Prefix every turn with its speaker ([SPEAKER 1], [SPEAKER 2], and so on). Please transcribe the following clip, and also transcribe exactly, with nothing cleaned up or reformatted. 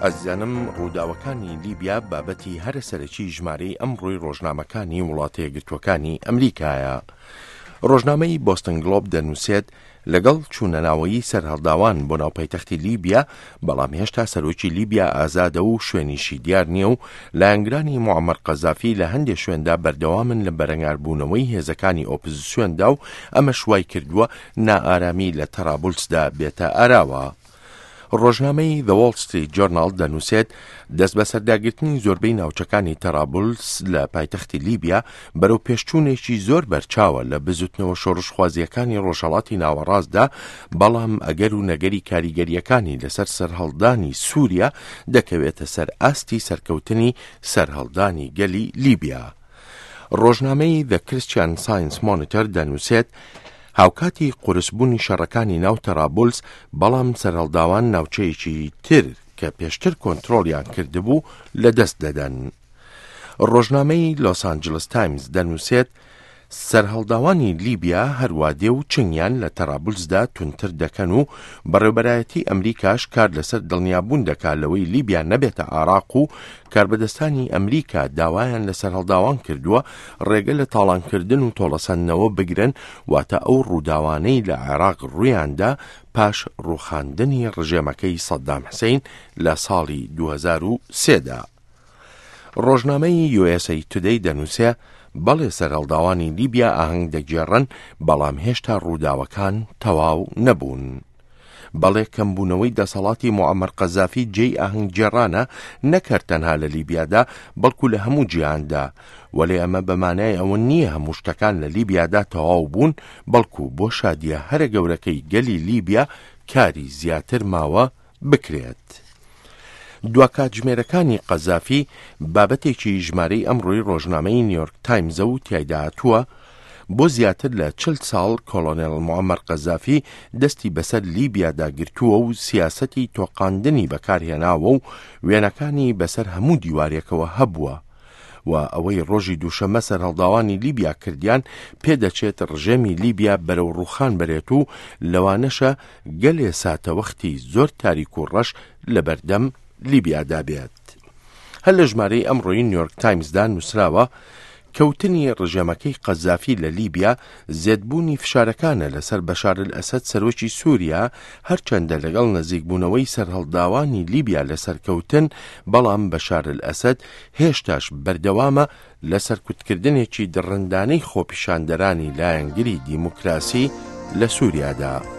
[SPEAKER 1] ئازیزانم، ڕووداوەکانی لیبیا بابەتی هەرە سەرەکی ژمارەی ئەمڕۆی ڕۆژنامەکانی وڵاتە یەکگرتووەکانی ئەمریکایە. ڕۆژنامەی بۆستن گڵۆب دەنووسێت، لەگەڵ چوونەناوەیی سەرهەڵداوان بۆ ناو پایتەختی لیبیا، بەڵام هێشتا سەرۆکی لیبیا ئازادە و شوێنیشی دیار نییە و لایەنگرانی موعەمەر قەزافی لە هەندێ شوێندا بەردەوامن لە بەرەنگاربوونەوەی هێزەکانی ئۆپزسیۆندا و ئەمەش وای کردووە نائارامی لە تەرابولسدا بێتە ئاراوە. ڕۆژنامەی The Wall Street Journal دەنووسێت، دەستبەسەرداگرتنی زۆربەی ناوچەکانی تەرابولس لە پایتەختی لیبیا بەرەو پێشچوونێکی زۆر بەرچاوە لە بزوتنەوە شۆڕشخوازییەکانی ڕۆژهەڵاتی ناوەڕاستدا، بەڵام ئەگەر و نەگەری کاریگەرییەکانی لەسەر سەرهەڵدانی سووریا دەکەوێتە سەر ئاستی سەرکەوتنی سەرهەڵدانی گەلی لیبیا. ڕۆژنامەی The Christian Science Monitor دەنووسێت، هاوکاتی قورسبوونی شەڕەکانی ناو تەرابولس، بەڵام سەرهەڵداوان ناوچەیەکی تر کە پێشتر کۆنترۆڵیان کردبوو لەدەست دەدەن. ڕۆژنامەی لۆس ئانجلس تایمز دەنووسێت، سەرهەڵداوانی لیبیا هەروادێ و چنگیان لە تەرابولسدا توندتر دەکەن و بەڕێوبەرایەتی ئەمریکاش کار لەسەر دڵنیابوون دەکات لەوەی لیبیا نەبێتە عێراق و کاربەدەستانی ئەمریکا داوایان لە سەرهەڵداوان کردووە ڕێگە لە تاڵانکردن و تۆڵەسەندنەوە بگرن، واتە ئەو ڕووداوانەی لە عێراق ڕوویاندا پاش ڕووخاندنی ڕژێمەکەی سەدام حسین لە ساڵی دوو هەزار و سێ دا. ڕۆژنامەی یو ئێس ئەی تودەی دەنووسێ، بەڵێ سەرهەڵداوانی لیبیا ئاهەنگ دەگێڕن، بەڵام هێشتا ڕووداوەکان تەواو نەبوون. بەڵێ کەمبوونەوەی دەسەڵاتی موعەمەر قەزافی جێی ئاهەنگگێڕانە نەک هەر تەنها لە لیبیادا بەڵکو لە هەموو جیهاندا، وەلێ ئەمە بە مانای ئەوە نییە هەموو شتەکان لە لیبیادا تەواو بوون، بەڵکو بۆ شادیە هەرە گەورەکەی گەلی لیبیا کاری زیاتر ماوە بکرێت. دوا کاتژمێرەکانی قەزافی بابەتێکی ژمارەی ئەمڕۆی ڕۆژنامەی نیویۆرک تایمزە و تیایدا هاتووە، بۆ زیاتر لە چل ساڵ کۆڵۆنێڵ موعەمەر قەزافی دەستی بەسەر لیبیادا گرتووە و سیاسەتی تۆقاندنی بەکارهێناوە و وێنەکانی بەسەر هەموو دیوارێکەوە هەبووە و ئەوەی ڕۆژی دووشەممە سەرهەڵداوانی لیبیا کردیان پێدەچێت ڕژێمی لیبیا بەرەو ڕووخان بەرێت و لەوانەشە گەلێ ساتەوەختی زۆر تاریک و ڕەش لەبەردەم لیبیادا بێت. هەر لە ژمارەی ئەمڕۆی نیویۆرک تایمزدا نووسراوە، کەوتنی ڕژێمەکەی قەزافی لە لیبیا زێدبوونی فشارەکانە لەسەر بەشار ئەلئەسەد سەرۆکی سووریا، هەرچەندە لەگەڵ نزیکبوونەوەی سەرهەڵداوانی لیبیا لە سەرکەوتن، بەڵام بەشار ئەلئەسەد هێشتاش بەردەوامە لە سەرکوتکردنێکی دڕندانەی خۆپیشاندەرانی لایەنگری دیموکراسی لە سووریادا.